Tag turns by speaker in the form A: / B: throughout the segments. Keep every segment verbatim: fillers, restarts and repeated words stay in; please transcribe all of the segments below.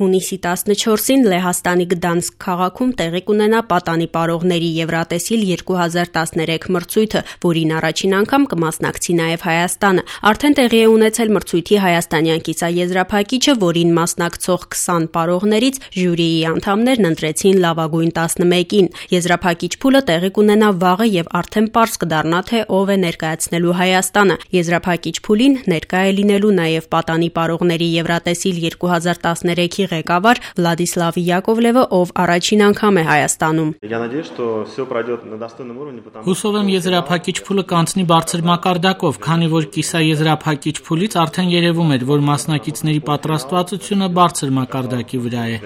A: Հունիսի տասնչորսին Լեհաստանի Գդանսկ քաղաքում տեղի կունենա պատանի պարողների Եվրատեսիլ երկու հազար տասներեք մրցույթը, որին առաջին անգամ կմասնակցի նաև Հայաստանը։ Արդեն տեղի է ունեցել մրցույթի հայաստանյան կիսաեզրափակիչը, որին մասնակցող քսան պարողներից ժյուրիի անդամներն ընտրեցին լավագույն տասնմեկին։ Եզրափակիչ փուլը տեղի կունենա վաղը եւ արդեն պարզ կդառնա, թե ով է ներկայացնելու Հայաստանը։ Եզրափակիչ փուլին ներկա է լինելու նաև պատանի պարողների Եվրատեսիլ երկու հազար տասներեքի ղեկավար Վլադիսլավ Յակովլևը, ով առաջին անգամ է Հայաստանում։
B: Հուսով եմ եզրափակիչ փուլը կանցնի բարձր մակարդակով, քանի որ կիսաեզրափակիչ փուլից արդեն երևում էր, որ մասնակիցների պատրաստվածությունը բարձր մակարդակի վրա է։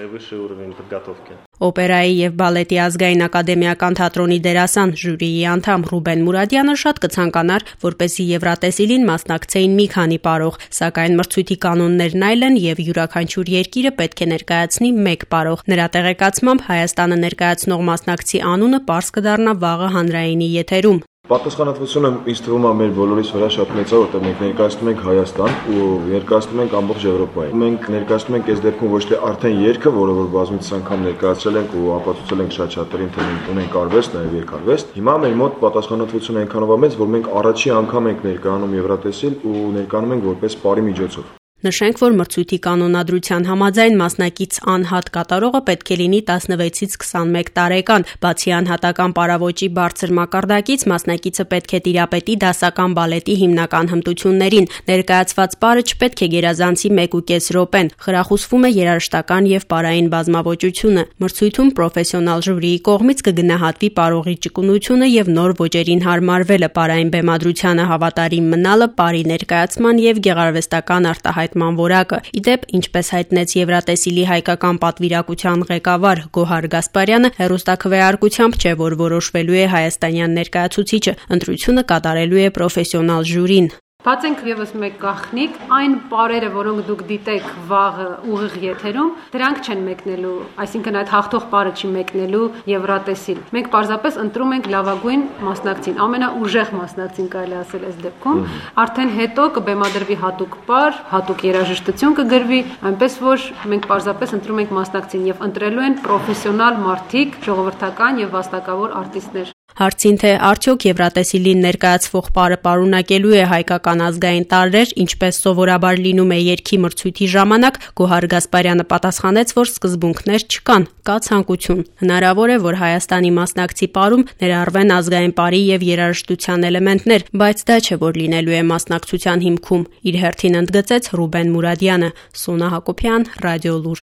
A: Օպերայի եւ բալետի ազգային ակադեմիական թատրոնի դերասան ժյուրիի անդամ Ռուբեն Մուրադյանը շատ կցանկանար, որպեսզի Եվրատեսիլին մասնակցեին մի քանի պարող, սակայն մրցույթի կանոններն այլ են եւ յուրաքանչյուր երկիրը պետք է ներկայացնի մեկ պարող։ Նրա տեղեկացմամբ Հայաստանը ներկայացնող մասնակցի անունը պարզ կդառնա վաղը հանրայինի եթերում։
C: Պատասխանատվությունը ինձ թվում է մեր բոլորիս վրա շատ մեծ է, որտեղ մենք ներկայացնում ենք Հայաստան ու ներկայացնում ենք ամբողջ Եվրոպային։ Մենք ներկայացնում ենք այս դեպքում ոչ թե արդեն երգը, որը որ բազմիցս անգամ ներկայացրել ենք ու ապացուցել ենք շատ շատերին, թե մենք ունենք արվեստ, նաև երգարվեստ։ Հիմա մեր մոտ պատասխանատվությունը այնքանով է մեծ, որ մենք առաջի անգամ ենք ներկայանում Եվրատեսիլ ու ներկայանում ենք որպես պարի միջոցով։
A: Նշենք, որ մրցույթի կանոնադրության համաձայն մասնակից անհատ կատարողը պետք է լինի տասնվեցից քսանմեկ տարեկան, բացի անհատական պարավոճի բարձր մակարդակից մասնակիցը պետք է տիրապետի դասական բալետի հիմնական հմտություններին, ներկայացված պարը չպետք է գերազանցի մեկ ու կես րոպեն, խրախուսվում է երաժշտական եւ պարային բազմավոճությունը։ Մրցույթում պրոֆեսիոնալ ժյուրիի կողմից կգնահատվի պարողի ճկունությունը եւ նոր ոճերին հարմարվելը, պարային բեմադրությանը հավատարիմ մնալը, պարի ներկայացման եւ գեղարվեստական արտահայտման որակը։ Իդեպ, ինչպես հայտնեց Եվրատեսիլի հայկական պատվիրակության ղեկավար Գոհար Գասպարյանը, հեռուստաքվեարկությամբ չէ, որ որոշվելու է հայաստանյան ներկայացուցիչը, ընտրությունը կատարելու է պրոֆեսիոնալ ժյուրին։
D: Բացենք եւս մեկ գաղտնիք, այն պարերը, որոնք դուք դիտեք վաղը ուղիղ եթերում, դրանք չեն մեկնելու, այսինքն այդ հաղթող պարը չի մեկնելու Եվրատեսիլ։ Մենք պարզապես ընտրում ենք լավագույն մասնակցին, ամենաուժեղ մասնակցին կարելի ասել այս դեպքում, արդեն հետո կբեմադրվի հատուկ պար, հատուկ երաժշտություն կգրվի, այնպես որ մենք պարզապես ընտրում ենք մասնակցին եւ ընտրելու են պրոֆեսիոնալ մարդիկ, ժողովրդական եւ վաստակավոր արտիստներ։
A: Հարցին, թե արդյոք Եվրատեսիլին ներկայացվող պարը պարունակելու է հայկական ազգային տարրեր, ինչպես սովորաբար լինում է երգի մրցույթի ժամանակ, Գոհար Գասպարյանը պատասխանեց, որ սկզբունքներ չկան, կա ցանկություն։ Հնարավոր է, որ Հայաստանի մասնակցի պարում ներառվեն ազգային պարի եւ երաժշտության էլեմենտներ, բայց դա չէ, որ լինելու է մասնակցության հիմքում, իր հերթին ընդգծեց Ռուբեն Մուրադյանը։ Սոնա Հակոբյան, Ռադիոլուր։